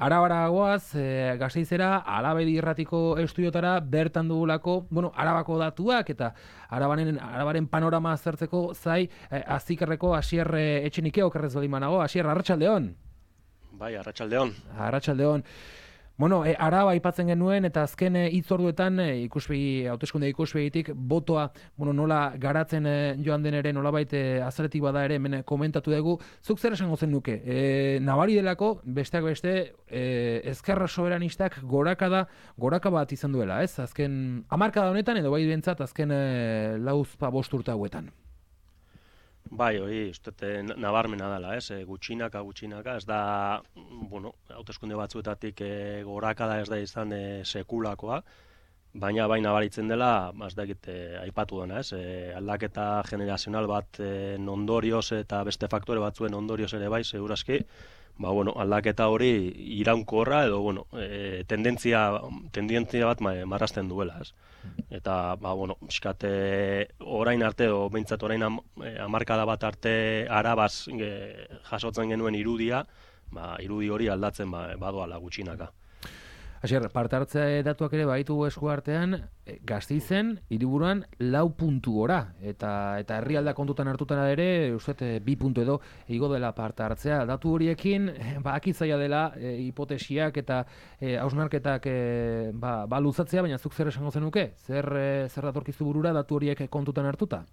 Arabara goaz, Gasteizera, Alabedi irratiko estudiotara, bertan dugulako, Arabako datuak eta Arabaren panorama aztertzeko zai, Azikerreko Asier Etxenike okerrez baldin banago. Asier, arratsaldeon. Bai, arratsaldeon. Arratsaldeon. Araba aipatzen genuen eta azken hitzorduetan hauteskunde ikuspegitik botoa nola garatzen joan den ere nolabait azaletik bada ere hemen komentatu dugu. Zuk zer esango zenuke? Nabari delako besteak beste ezkerra soberanistak goraka bat izan duela, ez? Azken hamarkada honetan edo bai bentsat azken 4-5 urte hauetan. Bai, hori, uste nabarmena dela, ez? Gutxinaka, ez da, hauteskunde batzuetatik gorakada ez da izan sekulakoa, baina bai nabaritzen dela, ez da aipatu dena, ez? Aldaketa generazional bat ondorioz eta beste faktore batzuen ondorioz ere bai, segurazki, aldaketa hori iraunkorra edo, tendentzia bat marrazten duela, ez? Eta, pixkat, orain arte, o behintzat orain hamarkada bat arte Arabaz jasotzen genuen irudia, irudi hori aldatzen badoala gutxinaka. Asier, parte hartzea datuak ere baitu esku artean, Gasteizen, hiriburuan 4 puntu gora, eta herrialda kontutan hartutan ere, uste 2 puntu edo igo dela parte hartzea. Datu horiekin, akitzaia dela hipotesiak eta hausnarketak luzatzea, baina zuk zer esango zenuke? Zer datorkizu burura datu horiek kontutan hartuta?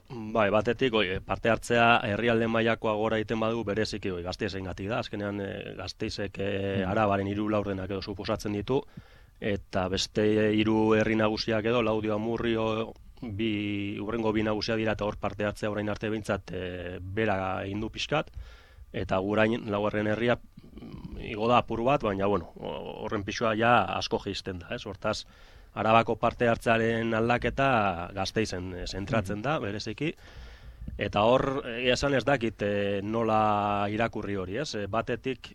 Bai, batetik parte hartzea herrialde mailakoa gora egiten badu bereziki Gasteizengatik da. Azkenean Gasteizek Arabaren 3 laurdenak edo suposatzen ditu, eta beste 3 herri nagusiak edo Laudio, Amurrio, hurrengo 2 nagusiak dira, eta hor parte hartzea orain arte behintzat bera egin du pixkat, eta gurain 4. herria igo da apur bat, baina horren pixua ja asko jaisten da, ez? Hortaz, Arabako parte hartzearen aldaketa Gasteizen zentratzen da, bereziki, eta hor, esan ez dakit nola irakurri hori, ez? Batetik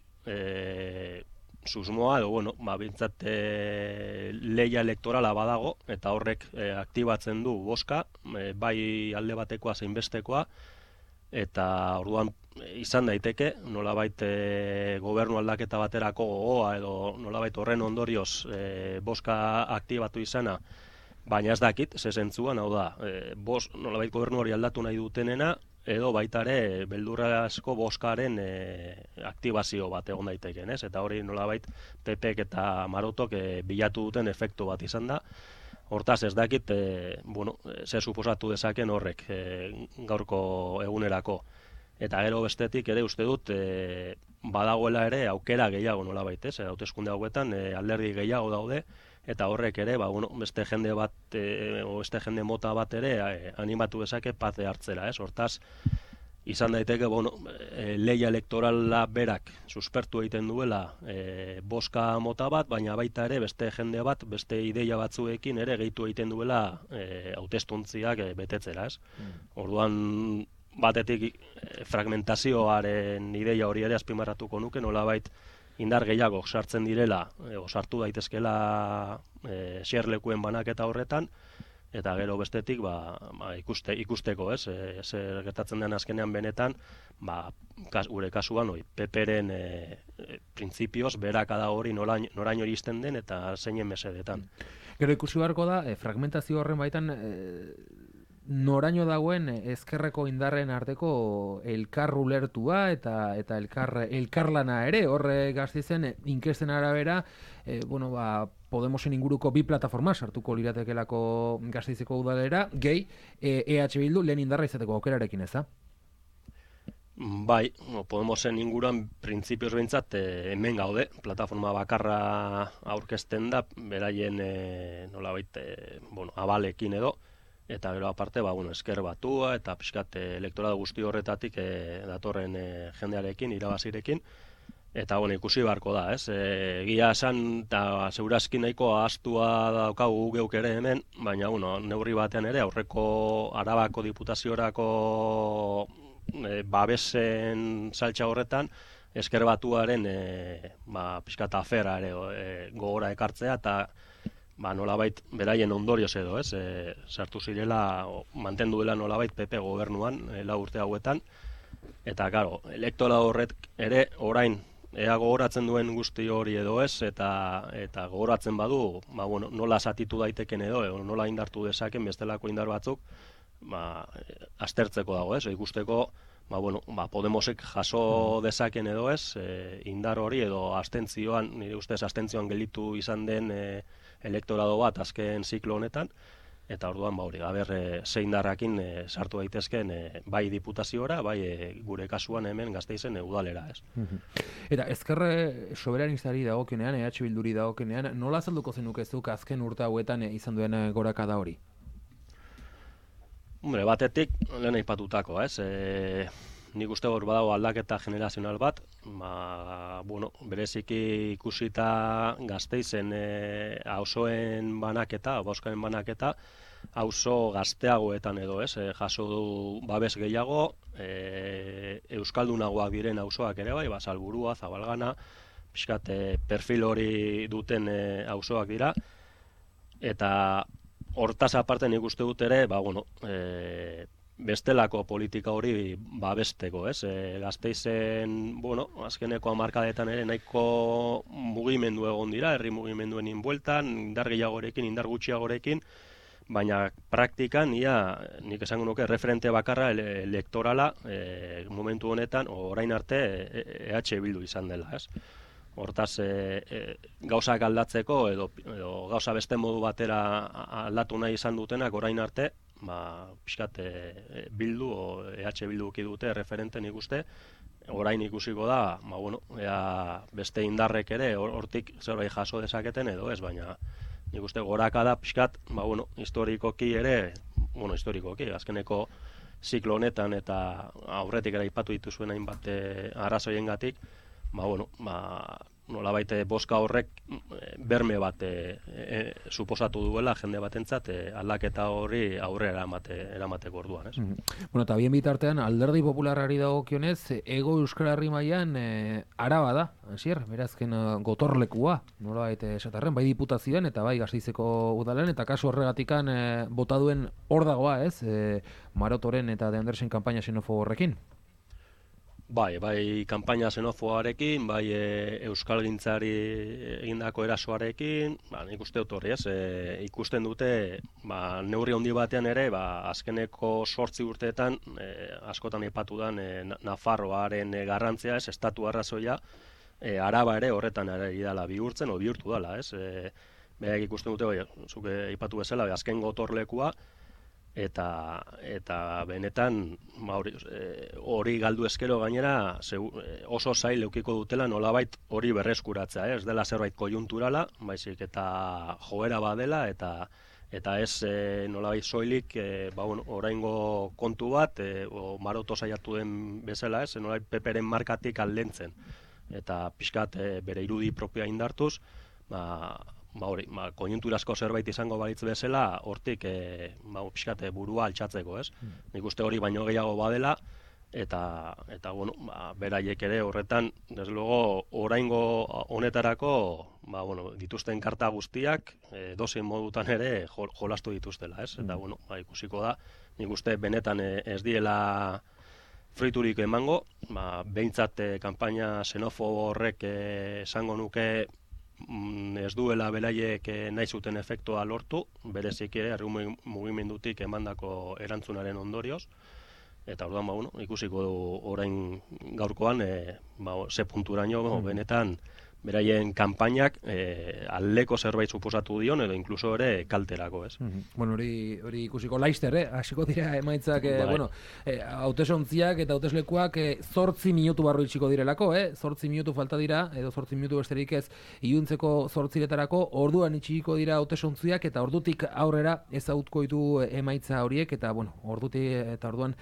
susmoa, edo, bintzat lehia elektorala badago, eta horrek aktibatzen du bozka, bai alde batekoa zein bestekoa, eta orduan izan daiteke, nolabait gobernu aldaketa baterako gogoa edo nolabait horren ondorioz bozka aktibatu izana, baina ez dakit, ze zentzuan, hau da, nolabait gobernu hori aldatu nahi dutenena, edo baita ere beldurrazko bozkaren aktibazio bat egon daiteken, ez? Eta hori nolabait PPek eta Marotok bilatu duten efektu bat izan da. Hortaz ez dakit, ze suposatu dezaken horrek gaurko egunerako. Eta gero bestetik ere uste dut badagoela ere aukera gehiago nolabait, ez? Hauteskunde hauetan alderdi gehiago daude, eta horrek ere beste jende bat, beste jende mota bat ere animatu dezake parte hartzera, ez? Hortaz, izan daiteke, lehia elektorala berak suspertu egiten duela bozka mota bat, baina baita ere beste jende bat, beste ideia batzuekin ere gehitu egiten duela hautestuntziak betetzera, ez? Orduan, batetik fragmentazioaren ideia hori ere azpimarratuko nuke, nolabait indar gehiago sartzen direla, sartu daitezkela xerlekuen banaketa horretan, eta gero bestetik ikusteko, ez? Zer gertatzen den azkenean benetan, gure kasuan PPren printzipioz berakada hori noraino iristen den eta zeinen mesedetan. Gero ikusi beharko da, fragmentazio horren baitan noraino dagoen ezkerreko indarren arteko elkar ulertua eta elkarlana ere, horre Gasteizen inkesten arabera, Podemosen inguruko 2 plataforma sartuko liratekelako Gasteizeko udalera, gehi EH Bildu lehen indarra izateko aukerarekin, ez da? Bai, Podemosen inguruan printzipioz behintzat hemen gaude, plataforma bakarra aurkezten da, beraien nolabait abalekin edo, eta gero aparte, esker batua eta pixkat elektoratu guzti horretatik datorren jendearekin, irabazirekin, eta ikusi beharko da, ez? Egia esan, eta segurazki nahiko ahaztua daukagu geuk ere hemen, baina neurri batean ere aurreko Arabako diputaziorako babesen saltza horretan, esker batuaren pixkat afera ere gogora ekartzea, eta nolabait beraien ondorioz edo, ez? Sartu zirela, mantendu dela nolabait PP gobernuan 4 urte hauetan, eta, klaro, elektoral horrek ere orain ea gogoratzen duen guzti hori edo ez, eta gogoratzen badu, nola zatitu daiteken edo, nola indartu dezaken bestelako indar batzuk, aztertzeko dago, ez? Ikusteko, Podemosek jaso dezaken edo ez, indar hori edo abstentzioan, nire ustez abstentzioan gelditu izan den elektorado bat azken ziklo honetan, eta orduan ze indarrakin sartu daitezken bai diputaziora, bai gure kasuan hemen Gasteizen udalera, ez. Eta ezkerre soberanistari dagokionean, EH Bilduri dagokionean, nola azalduko zenukezuk azken urte hauetan izan duen gorakada hori? Batetik, lehen aipatutako, ez? Nik uste hor badago aldaketa generazional bat, bereziki ikusita Gasteizen auzoen banaketa, bozkaren banaketa, auzo gazteagoetan edo, ez? Jaso du babes gehiago, euskaldunagoak diren auzoak ere bai, Salburua, Zabalgana, pixkat perfil hori duten auzoak dira, eta hortaz aparte nik uste dut ere, bestelako politika hori babesteko, ez? Gasteizen, azkeneko hamarkadetan ere nahiko mugimendu egon dira, herri mugimenduen inbueltan, indar gehiagorekin, indar gutxiagorekin, baina praktikan, nik esango nuke, referente bakarra elektorala momentu honetan, orain arte EH Bildu izan dela, ez? Hortaz, gauzak aldatzeko edo gauza beste modu batera aldatu nahi izan dutenak orain arte, pixkat Bildu o EH Bildu dute referenten ikuste, orain ikusiko da, ea beste indarrek ere hortik zerbait jaso dezaketen edo ez, baina nik uste gorakada pixkat, historikoki ere, historikoki, azkeneko ziklo honetan eta aurretik ere aipatu dituzuen hainbat arrazoiengatik, nolabait bozka horrek berme bat suposatu duela jende batentzat aldaketa hori aurrera eramateko orduan, ez? Eta bien bitartean Alderdi Popularrari dagokionez Hego Euskal Herri mailan Araba da, hasier, berazken gotorlekua, nolabait esatarren, bai diputazioan eta bai Gasteizeko udalean, eta kasu horregatikan bota duen hor dagoa, ez? Marotoren eta De Andersen kanpaina xenofobo horrekin. Bai, kanpaina xenofoarekin, bai euskalgintzari egindako erasoarekin, nik uste dut horri, ez? Ikusten dute, neurri handi batean ere, azkeneko 8 urteetan, askotan aipatu den Nafarroaren garrantzia, ez? Estatu arrazoia, Araba ere horretan ere idala bihurtzen, o bihurtu dela, ez? Berak ikusten dute, zuk aipatu bezala, azken gotorlekua, eta benetan hori galdu eskero gainera oso zail eukiko dutela nolabait hori berreskuratzea, ez dela zerbait kojunturala, baizik eta joera badela eta ez nolabait soilik oraingo kontu bat Maroto saiatu den bezala, ez nolabait PPren markatik aldentzen eta pixkat bere irudi propioa indartuz, konjunturasko zerbait izango balitz bezala, hortik pixkat burua altxatzeko, ez? Nik uste hori baino gehiago badela, eta beraiek ere horretan, desde luego, oraingo honetarako, dituzten karta guztiak, dozein modutan ere jolastu dituztela, ez? Eta, ikusiko da, nik uste benetan ez diela fruiturik emango, behintzat kanpaina xenofobo horrek esango nuke ez duela beraiek nahi zuten efektua lortu, berezik ere herri mugimendutik emandako erantzunaren ondorioz, eta orduan ikusiko du orain gaurkoan ze punturaino benetan beraien kanpainak aldeko zerbait suposatu dion edo inkluso ere kalterako, ez? Hori ikusiko Laister, hasiko dira emaitzak, hautesontziak eta hauteslekuak 8 minutu barru itxiko direlako, 8 minutu falta dira, edo 8 minutu besterik ez iluntzeko 8retarako, orduan itxiko dira hautesontziak eta ordutik aurrera ezagutuko ditu emaitza horiek, eta ordutik eta orduan,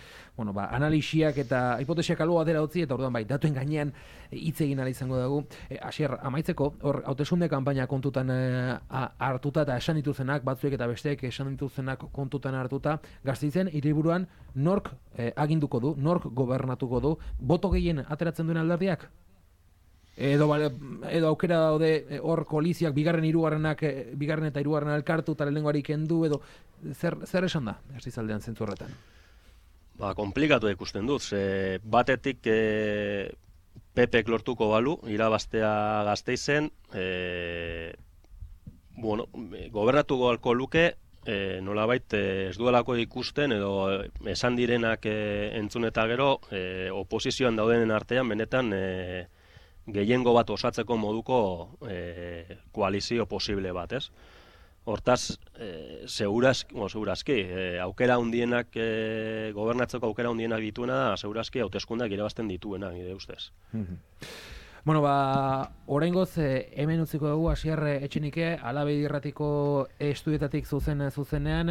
analisiak eta hipotesiak albo batera utzi, eta orduan datuen gainean hitz egin ahal izango dugu. Amaitzeko, hor, hauteskunde kanpaina kontutan hartuta eta esan dituzenak, batzuek eta besteek esan dituzenak kontutan hartuta, Gasteizen hiriburuan nork aginduko du, nork gobernatuko du, boto gehien ateratzen duen alderdiak? Edo aukera daude hor koaliziak bigarren eta hirugarrena elkartu eta lehenengoari kendu, edo zer esan da Gasteizaldean zentzu horretan? Komplikatu ikusten dut, batetik PPek lortuko balu, irabaztea Gasteizen, gobernatuko alko luke, nolabait ez duelako ikusten edo esan direnak entzun eta gero oposizioan daudenen artean benetan gehiengo bat osatzeko moduko koalizio posible bat, ez? Hortaz, segurazki, aukera hundienak, gobernatzeko aukera hundienak dituena da, segurazki hauteskundeak irabazten dituena, nire ustez. Bueno, oraingoz hemen utziko dugu Asier Etxenike, Alabedi Irratiko estudietatik zuzenean,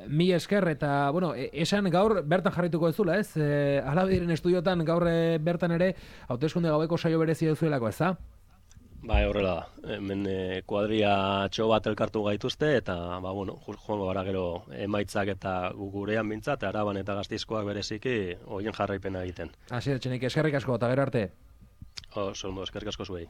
mi esker eta, esan gaur bertan jarrituko ezula, ez? Alabediren estudiotan gaur bertan ere hauteskunde gaueko saio berezia duzuelako, ez da? Bai, horrela da. Hemen kuadria txo bat elkartu gaituzte eta, joango gara gero emaitzak eta gurean bintzat, Araban eta Gasteizkoak bereziki horien jarraipena egiten. Asier Etxenike, eskerrik asko eta gero arte. Eskerrik asko zuei.